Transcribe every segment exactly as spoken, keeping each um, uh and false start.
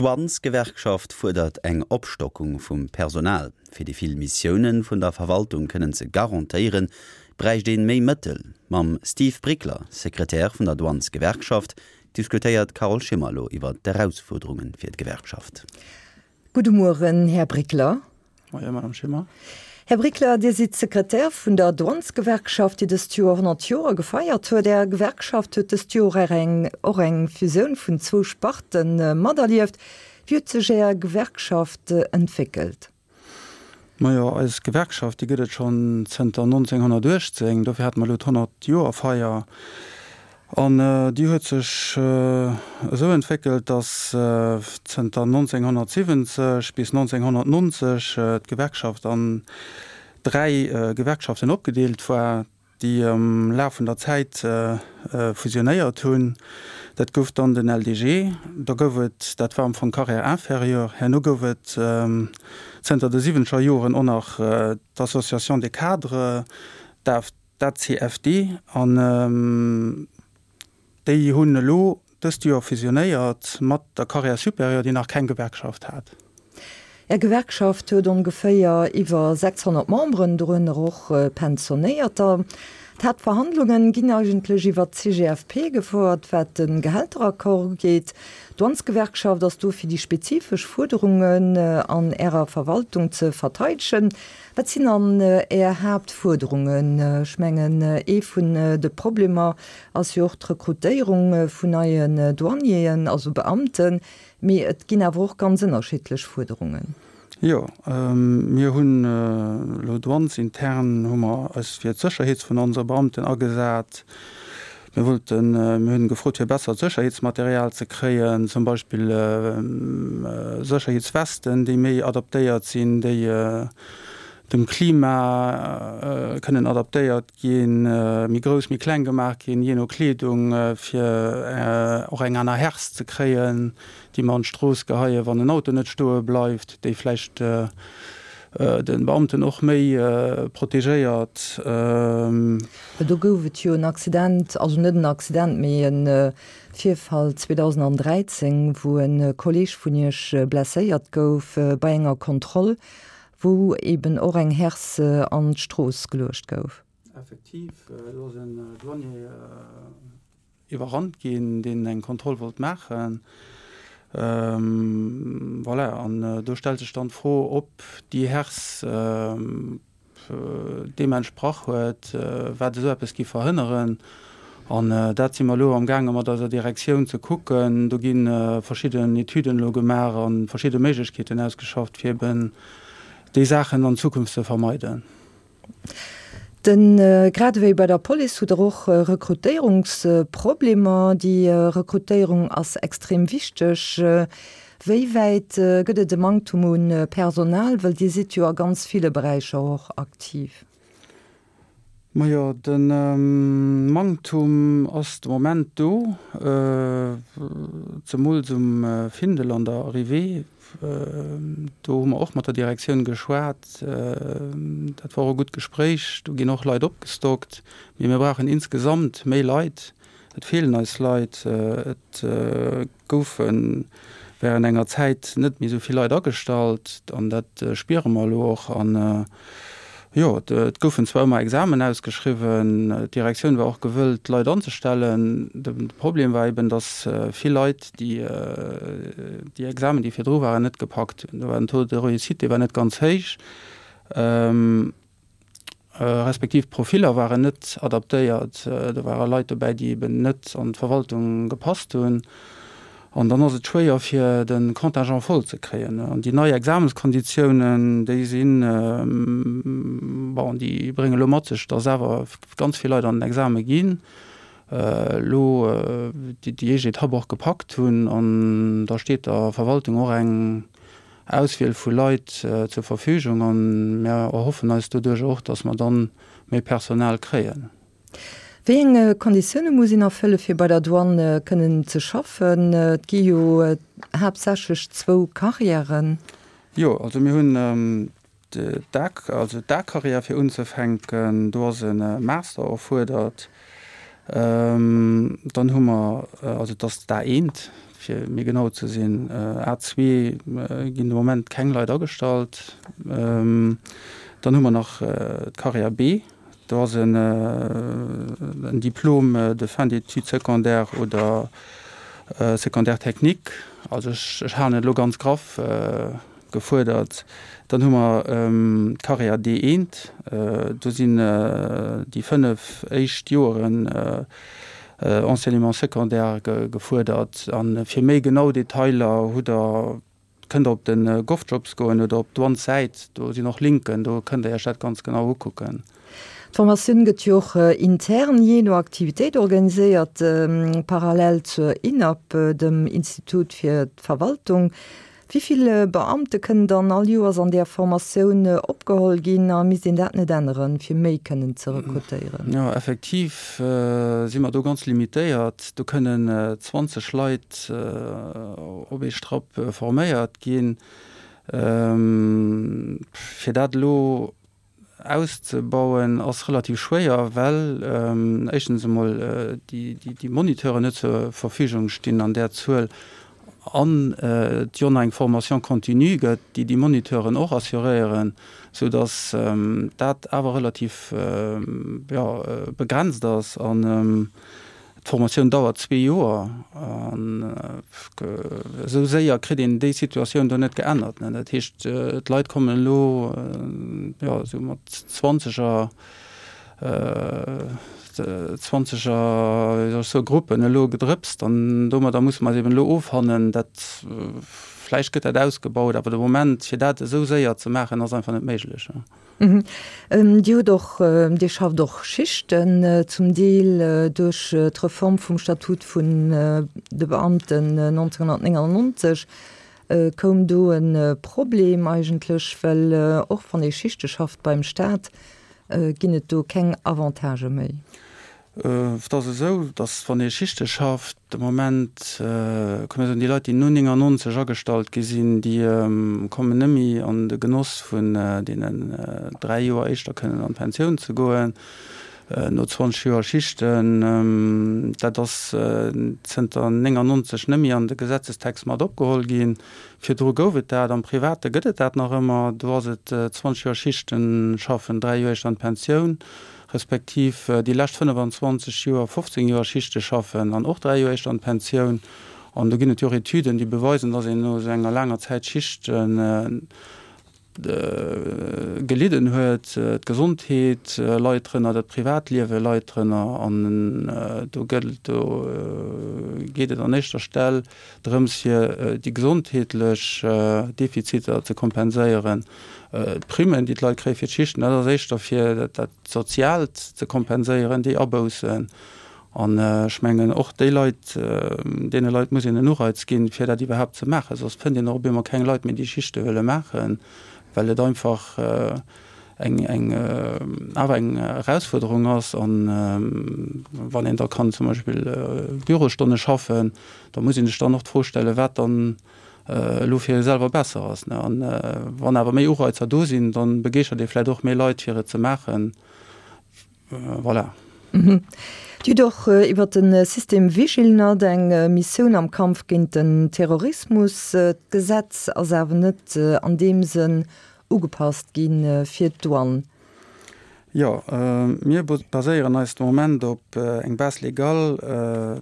D'Douanesgewerkschaft fuerdert eng Opstockung vum Personal. Fir déi vill Missioune vun der Verwaltung kënnen ze garantéieren, bräicht ee méi Mëttel. Mam Steve Brickler, Sekretär vun der Douanesgewerkschaft, diskutéiert d'Carole Schimmer elo iwwer d'Erausfuerderunge fir d'Gewerkschaft. Gudde Mueren, Här Brickler. Moie, Madame Schimmer. Här Brickler, Dir sidd Sekretär vun der Douanesgewerkschaft, déi dëst Joer honnert Joer gefeiert huet. Är Gewerkschaft huet dëst Joer eng och eng Fusioun vun zwou Sparte materlieft. Wéi huet sech Är Gewerkschaft entwéckelt? Majo, eis Gewerkschaft, déi gëtt et schonn zënter nonzénghonnertuechtzéng, dofir hate mer elo d'Honnert-Joer-Feier. An déi huet sech esou entwéckelt, datt zënter nonzénghonnertsiwwenzeg bis nonzénghonnertnonzeg d'Gewerkschaft an dräi Gewerkschaften opgedeelt war, déi am Laf vun der Zäit fusionéiert hunn. Dat gouf dann den L D G, da gouf et, dat war am Fong Carrière inférieure, herno gouf et zënter de siwwenzeger Joren och nach d'Association des cadres, d'A C F D, an déi hunn elo dëst Joer fusionéiert mat der Carrière supérieure, déi nach keng Gewerkschaft hat. Är Gewerkschaft huet ongeféier iwwer sechshonnert Memberen, dorënner och Pensionéierter. D'Haaptverhandlungen ginn eigentlech iwwer d'C G F P gefouert, wat de Gehälteraccord ugeet. D'Douanesgewerkschaft ass do fir déi spezifesch Fuerderungen an Ärer Verwaltung ze verteidegen. Wat sinn dann Är Haaptfuerderungen? Ech mengen, ee vun de Problemer ass jo och d'Rekrutéierung vun neien Douanieren, also Beamten. Mee et ginn awer och ganz ënnerschiddlech Fuerderungen. Jo, mir hunn elo douanesintern hu mer eis fir d'Sécherheet vun onse Beamten agesat. Mir wollten, mir hunn gefrot, fir bessert Sécherheetsmaterial ze kréien, zum Beispill Sécherheetswesten, déi méi adaptéiert sinn, déi dem Klima kënnen adaptéiert ginn, méi grouss, méi kleng gemaach ginn, jee no Kleedung, fir och eng aner Herse ze kréien, déi mer an d'Strooss geheien, wann en Auto net stoe bleift, déi vläicht de Beamten och méi protegéiert. Do gouf et jo en Accident, also net en Accident, mee e Virfall zweedausendräizéng, wou e Kolleeg vun Iech blesséiert gouf bei enger Kontroll, wou eben och eng Herse an d'Strooss geluecht gouf. Effektiv, do ass en Douanier iwwerrannt ginn, deen eng Kontroll wollt maachen. Voilà, an do stellt sech dann d'Fro, ob déi Herse deem entsprach huet, wat esou eppes géif verhënneren. An dat si mer elo amgaange mat eiser Direktioun ze kucken. Do gi verschidden Etüden elo gemaach a verschidde Méiglechkeeten ausgeschafft, fir eben déi Saachen an Zukunft ze vermeiden. Den grad ewéi bei der Police hutt der och Rekrutéierungsproblemer. Déi Rekrutéierung ass extrem wichteg. Wéi wäit gëtt et e Manktum un Personal, well Dir sidd jo a ganz ville Beräicher och aktiv? Majo, de Manktum ass de Moment do, zemools um Findel an der Arrivée. Do hu mer och mat der Direktioun geschwat. Dat war och e gutt Gespréich. Do ginn och Leit opgestockt. Mee mir brauchen insgesamt méi Leit. Et feelen eis Leit. Et goufe während enger Zäit net méi esou vill Leit agestallt an dat spiere mer elo och. An jo, et goufen zwar ëmmer Examen ausgeschriwwen, d'Direktioun war och gewëllt, Leit anzestellen. De Problem war eben, datt vill Leit déi déi Examen, déi virdru waren, net gepackt hunn. Do war den Taux de réussite, dee war net ganz héich, respektiv d'Profiller waren net adaptéiert. Do ware Leit dobäi, déi eben net an d'Verwaltung gepasst hunn. An dann ass et schwéier, fir de Contingent voll ze kréien. An déi nei Examenskonditiounen, déi sinn, bon, déi brénge elo mat sech, datt awer ganz vill Leit an den Exame ginn, elo déi éischt Etapp och gepackt hunn. An da steet der Verwaltung och eng Auswiel vu Leit zur Verfügung. An mir erhoffen eis doduerch och, datt mer dann méi Personal kréien. Wéi eng Konditioune muss een erfëlle fir bei der Douane kënnen ze schaffen? Et gi jo haaptsächlech zwou Karriären. Jo, also mir hunn d'A, also d'A-Karriär fir unzefänken, do ass e Master erfuerdert. Dann hu mer, also et ass d'A eent, fir méi genau ze sinn, A zwee ginn de Moment keng Leit agestallt. Dann hu mer nach d'Carrière B, do ass en Diplôme de fin d'études secondaires oder secondaire technique, also ech halen et elo ganz graff, gefuerdert. Dann hu mer d'Carrière D eent, do sinn déi fënnef éischt Joeren Enseignement secondaire gefuerdert. A fir méi genau Detailer hutt Der, kënnt Der op de GovJobs goen oder op d'Douanes-Säit, do sinn och Linken, do kënnt Der Iech dat ganz genau ukucken. D'Formatioun gëtt jo och intern jee no Aktivitéit organiséiert, parallel zur INAP, dem Institut fir d'Verwaltung. Wéi vill Beamte kënnen dann all Joers an där Formatioun opgeholl ginn a misst een dat net änneren, fir méi kënnen ze rekrutéieren? Jo, effektiv si mer do ganz limitéiert. Do kënnen zwanzeg Leit op ee Strapp forméiert ginn. Fir dat elo auszebauen ass relativ schwéier, well éischtens emol déi Moniteuren net zur Verfügung stinn an där Zuel an et jo nach eng Formation continue gëtt, déi déi Moniteuren och assuréieren, soudass dat awer relativ, jo, begrenzt ass. An d'Formatioun dauert zwee Joer an esou séier kritt een déi Situatioun do net geännert. Dat heescht, d'Leit kommen elo, jo, esou mat zwanzeger, zwanzeger, wéi soll ech soen, Gruppen elo gedrëpst an domadder musse mer eis eben elo offannen. Dat, vläicht gëtt dat ausgebaut, awer de Moment, fir dat esou séier ze maachen, ass einfach net méiglech. Dir hutt och, Dir schafft och Schichten, zum Deel duerch d'Reform vum Statut vun de Beamten nonzénhunnertnénganennonzeg koum do e Problem eigentlech, well och wann ee Schichte schafft beim Staat, ginn et do keng Avantagë méi. Et ass esou, datt wann ee Schichte schafft, de Moment, kann ee soen, déi Leit, déi no néngannonzeg agestallt gi sinn, déi kommen net méi an de Genoss vun deenen dräi Joer éischter kënnen an d'Pensioun ze goen, no zwanzeg Joer Schichten. Dat ass zënter néngannonzeg net méi an de Gesetzestext mat opgeholl ginn. Virdru gouf et dat, am Private gëtt et dat nach ëmmer, do ass et zwanzeg Joer Schichten schaffen, dräi Joer éischter an d'Pensioun. respektiv déi lescht fënnefanzwanzeg Joer fofzéng Joer Schichte schaffen an och dräi Joer éischter an d'Pensioun. An do ginn et jo och Etüden, déi beweisen, dass een no esou enger laanger Zäit Schichte gelidden huet, d'Gesondheet leit drënner, dat Privatliewe leit drënner. An do gëllt, do geet et an éischter Stell drëms, fir déi gesondheetlech Defiziter ze kompenséieren. D'Primmen, déi d'Leit kréie fir d'Schichten, dat ass éischter fir dat Soziaalt ze kompenséieren, déi Aboussen. An ech mengen, och déi Leit, deene Leit muss een en Ureiz ginn, fir dat iwwerhaapt ze maachen. Soss fënnt een och op eemol keng Leit méi, déi Schichte wëlle maachen, well et einfach eng, eng, awer eng Erausfuerderung ass. An wann een da kann zum Beispill Bürostonne schaffen, da muss ee sech dann och d'Fro stellen, wat dann elo fir ee selwer besser ass. An wann awer méi Ureizer do sinn, da begeeschtert ee vläicht och méi Leit, fir et ze maachen. Voilà. Dir hutt och iwwer de System Vigilnat eng Missioun am Kampf géint den Terrorismus. D'Gesetz ass awer net an deem Sënn ugepasst gi fir d'Douane. Jo, mir baséieren eis de Moment op eng Base légale,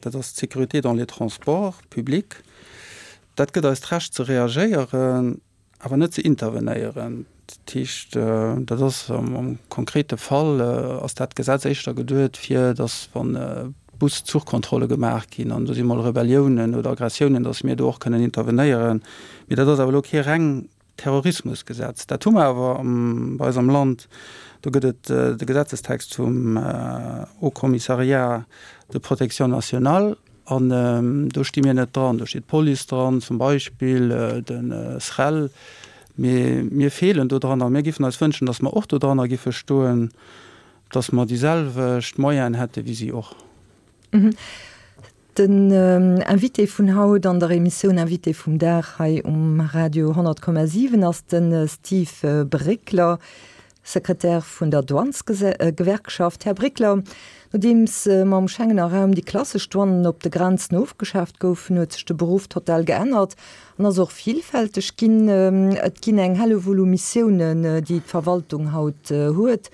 dat ass d'Sécurité dans les transports publics. Dat gëtt eis d'Recht ze reagéieren, awer net ze intervenéieren. Dat heescht, dat ass am konkrete Fall ass dat Gesetz éischter geduet, fir datt wa Bus-Zuchkontrolle gemaach ginn an do si mol Rebelliounen oder Aggressiounen, datt mir do och kënnen intervenéieren. Mee dat ass awer elo kee reng Terrorismusgesetz. Dat hu mer awer bei eis am Land. Do gëtt et de Gesetzestext vum Haut Commissariat de protection nationale an do sti mir net dran. Do steet d'Police dran zum Beispill, de SREL. Mee mir feelen do dran a mir géifen eis wënschen, datt mer och do dranner géife stoen, datt mer déi selwecht Moyenen hätte wéi si och. Den Invité vun haut an der Emissioun Invité vum Dag hei um Radio honnert Komma siwen ass de Steve Breckler, Sekretär vun der Douanesgewerkschaft. Här Brickler, nodeems mam Schengener Raum déi klassesch Douanen op de Grenzen ofgeschaaft goufen, huet sech de Beruff total geännert an ass och villfälteg ginn. Et ginn eng Hellewull u Missiounen, déi d'Verwaltung haut huet,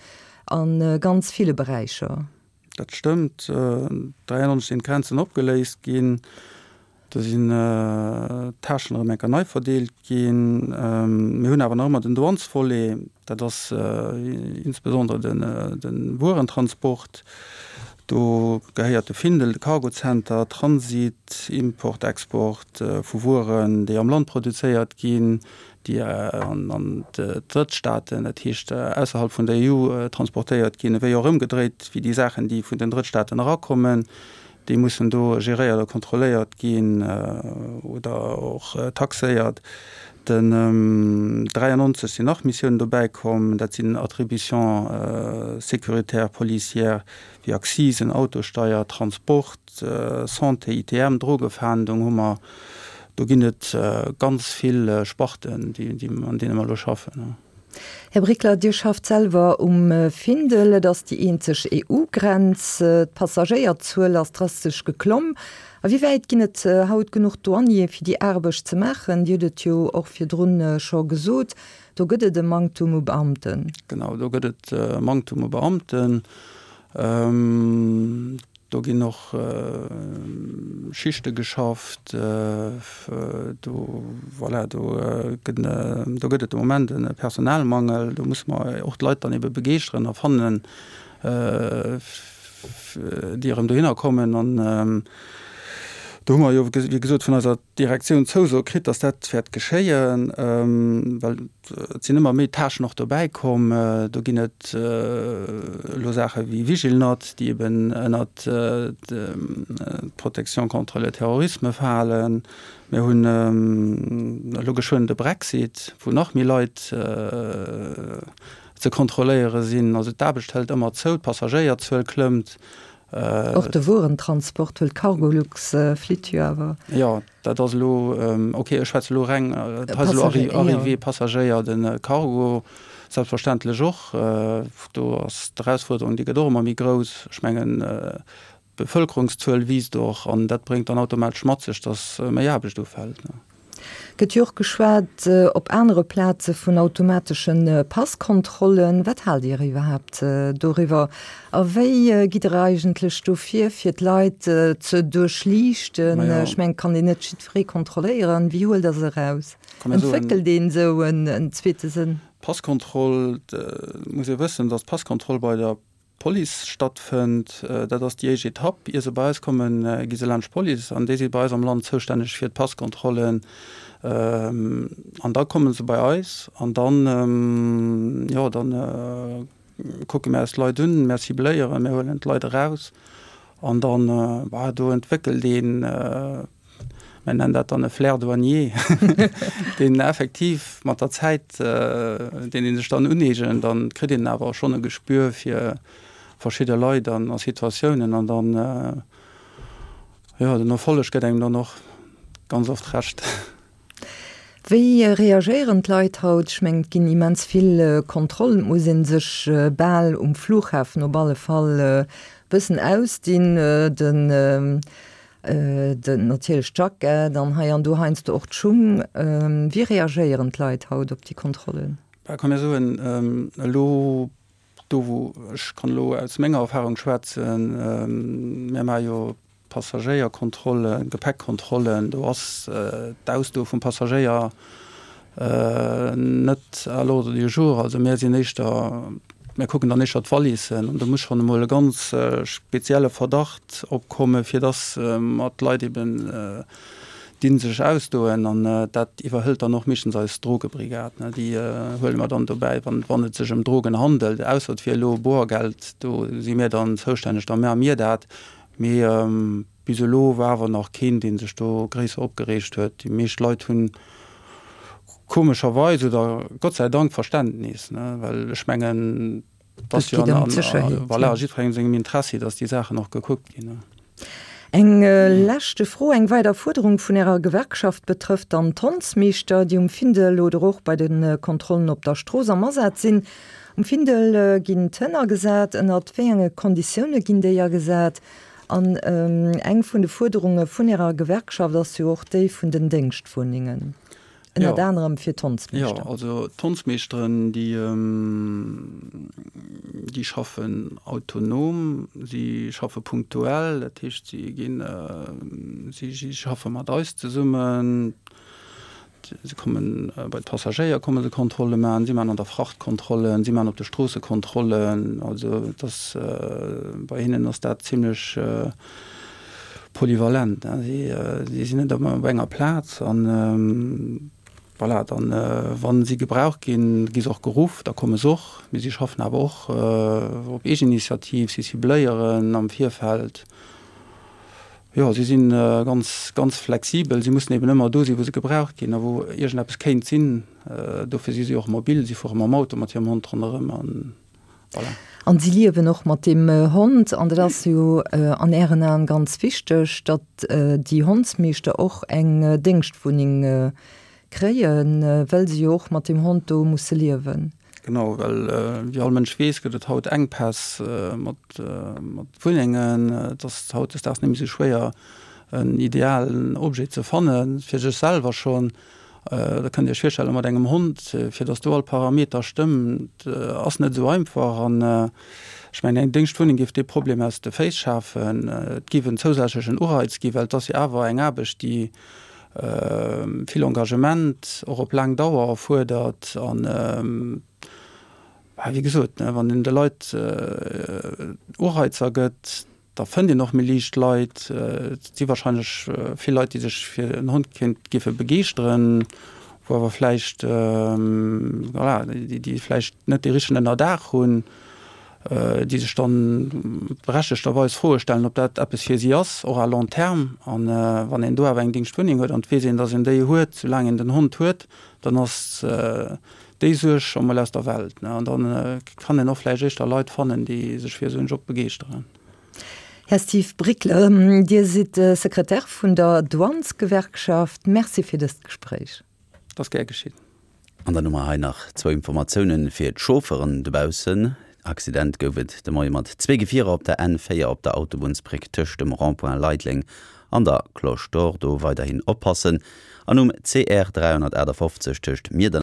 a ganz ville Beräicher. Dat stëmmt. dräiannonzeg sinn d'Grenzen opgeléist ginn. Do sinn d'Tâchen erëm eng Kéier nei verdeelt ginn. Mir hunn awer nach ëmmer den Douanesvolet, dat ass insbesondere de Wuerentransport. Do gehéiert de Findel, de Cargocenter, Transit, Import, Export vu Wueren, déi am Land produzéiert ginn, déi an d'Drëttstaaten, dat heescht ausserhalb vun der E U, transportéiert ginn, ewéi och ëmgedréit, wéi déi Saachen, déi vun den Drëttstaaten erakommen. Déi mussen do geréiert a kontrolléiert ginn oder och taxéiert. Den dräiannonzeg sinn nach Missiounen dobäi komm, dat sinn Attributions sécuritaires policières wéi Accisen, Autosteier, Transport, Santé, I T M, Drogefahndung hu mer. Do ginn et ganz vill Sparten, déi an deene mer elo schaffen. Här Brickler, Dir schafft selwer um Findel. Et ass déi eenzeg E U-Grenz. D'Passagéierzuel ass drastesch geklomm. A wéi wäit ginn et haut genuch Douaniere fir déi Aarbecht ze maachen? Dir hutt et jo och virdrun scho gesot, do gëtt et e Manktum u Beamten. Genau, do gëtt et e Manktum u Beamten. Do ginn och Schichte geschafft. Do, voilà, do gëtt, do gëtt et de Moment e Personalmangel. Do musse mer och d'Leit dann ebe begeeschteren a fannen, déi erëm dohinner kommen. An do hu mer jo, wéi gesot, vun eiser Direktioun d'Zouso kritt, dass dat wäert geschéien, well et sinn ëmmer méi Tâchen och dobäi komm. Do ginn et elo Saache wéi Vigilnat, déi eben ënnert d'Protection contre le terrorisme falen. Mir hunn elo geschwënn de Brexit, wou nach méi Leit ze kontrolléiere sinn. Also d'Aarbecht hëlt ëmmer zou, d'Passagéierzuel klëmmt. Och de Wuerentransport, well d'Cargolux flitt jo awer. Jo, dat ass elo, ok, ech schwätze elo reng, dat ass elo Arrivée, Passagéier, de Cargo selbstverständlech och. Do ass d'Erausfuerderung, déi gëtt och ëmmer méi grouss. Ech mengen, d'Bevëlkerungszuel wiisst och an dat bréngt dann automatesch mat sech, datt méi Aarbecht ufält. Gëtt jo och geschwat op anere Plaze vun automatesche Passkontrollen. Wat haalt Dir iwwerhaapt doriwwer? A wéi gitt Der eigentlech do vir, fir d'Leit ze duerchliichten? Ech mengen, et kann een net jiddweree kontrolléieren. Wéi huelt Der se eraus? Entwéckelt een esou en zweete Sënn? Passkontroll, muss ee wëssen, datt d'Passkontroll bei der Police stattfënnt. Dat ass déi éischt Etapp. Ier se bei eis kommen, gi se laanscht d'Police an déi si bei eis am Land zoustänneg fir d'Passkontrollen. An da komme se bei eis an dann, jo, dann kucke mir eis d'Leit un, mir cibléieren, mir huelen d'Leit eraus an dann, bah, do entwéckelt een, mir nennen dat dann e Flair douanier, deen effektiv mat der Zäit, deen ee sech dann uneegent, dann kritt een awer schonn e Gespür fir verschidde Leit an a Situatiounen an dann, jo, den Erfolleg gëtt engem dann och ganz oft Recht. Wéi reagéieren d'Leit haut? Ech mengen, et ginn immens vill Kontrollen, et muss ee sech bal um Flughafen op alle Fall e bëssen ausdinn, den den natierlech d'Jackett an hei an do heiansdo och d'Schung. Wéi reagéieren d'Leit haut op déi Kontrollen? Bah, kann mir soen, elo do wou, ech kann elo aus menger Erfahrung schwätzen, mir maache jo Passagéierkontrollen, Gepäckkontrollen, do ass d'Ausdoe vum Passagéier net à l'ordre du jour. Also mir sinn éischter, mir kucken dann éischter d'Valissen an do muss schonn emol e ganz spezielle Verdacht opkomme fir dass mer d'Leit eben dinn sech ausdoen an dat iwwerhëlt dann och meeschtens eis Drogebrigad. Déi huele mer dann dobäi, wann wann et sech ëm Drogen handelt, ausser et wier elo Boergeld, do si mir dann zoustänneg, da maache mir dat. Mee bis elo war awer nach keen, dee sech do gréisser opgereegt huet. Déi meescht Leit hunn komescherweis oder Gott sei Dank Verständnis, well ech mengen, et ass jo an, voilà, jiddwerengem sengem Interessi, datt déi Saachen och gekuckt ginn. Eng leschte Fro, Eng weider Fuerderung vun Ärer Gewerkschaft betrëfft dann d'Hondsmeeschter, déi um Findel oder och bei de Kontrollen op der Strooss am Asaz sinn. Um Findel ginn d'Hënn agesat. Ënnert wéi enge Konditioune ginn déi agesat? An eng vun de Fuerderunge vun Ärer Gewerkschaft ass jo och déi vun den Déngschtwunnengen, ënnert anerem fir d'Hondsmeeschter. Jo, also d'Hondsmeeschteren, déi, déi schaffen autonom, si schaffe punktuell, dat heescht, si ginn, si schaffe mat eis zesummen. Se kommen bei d'Passagéier komme se Kontrolle maachen, si maachen an der Fracht Kontrollen, si maachen op de Stroosse Kontrollen. Also et ass, bei hinnen ass dat zimlech polyvalent. Si sinn net ëmmer op enger Plaz an voilà, dann wa si gebraucht ginn, gi se och geruff, da komme se och. Mee si schaffen awer och op Eegeninitiativ, si cibléieren am Virfeld. Jo, si si ganz, ganz flexibel. Si mussen eben ëmmer do sinn, wou se gebraucht ginn a wou iergendeppes kéint sinn. Dofir si si och mobil. Si fuere mam Auto mat hirem Hond ronderëm an voilà. An si liewen och mat deem Hond. An dat ass jo an Ären Aen ganz wichteg, datt déi Hondsmeeschter och eng Déngschtwunneng kréien, well se jo och mat deem Hond do musse liewen. Genau, well wéi all Mënsch weess, gëtt et haut Enkpäss mat Wunnengen. Et ass hautdesdaags net méi esou schwéier, en idealen Objet ze fannen, fir sech selwer schonn. Da kënnt Dir Iech virstellen, mat engem Hond, fir datt do all Parameter stëmmt, ass net esou einfach. An ech mengen, eng Déngschtwunneng géif dee Problem aus de Féiss schafen. Et géif en zousätzlechen Ureiz ginn, well et ass jo awer eng Aarbecht, déi vill Engagement, och op laang Dauer erfuerdert. An, wéi gesot, wann een de Leit Ureizer gëtt, da fënnt een och méi liicht Leit. Et si wahrscheinlech vill Leit, déi sech fir en Hond kéint géife begeeschteren, wou awer vläicht, voilà, déi vläicht net dee richtegen Ënnerdaach hunn. déi sech dann berechtegterweis Froe stellen, ob dat eppes fir si ass, och à long terme. An wann een do awer eng Dingschtwunneng huet an et weess een, datt een déi huet, soulaang een den Hond huet, dann ass déi Suerg scho mol aus der Welt. An da kann een och vläicht éischter Leit fannen, déi sech fir esou en Job begeeschteren. Här Steve Bricler, Dir sidd Sekretär vun der Douanesgewerkschaft. Merci fir dëst Gespréich. Et ass gär geschitt. An dann hu mer hei nach zwou Informatiounen fir d'Chaufferen dobaussen. Accident gouf et de Moie mat zwee Gefierer op der N véier op der Autobunnsbréck tëscht dem Rond-point Leideleng an der Cloche d'Or. Do weiderhin oppassen. An um C R dräihonnertaachtafoffzeg tëscht Miedernach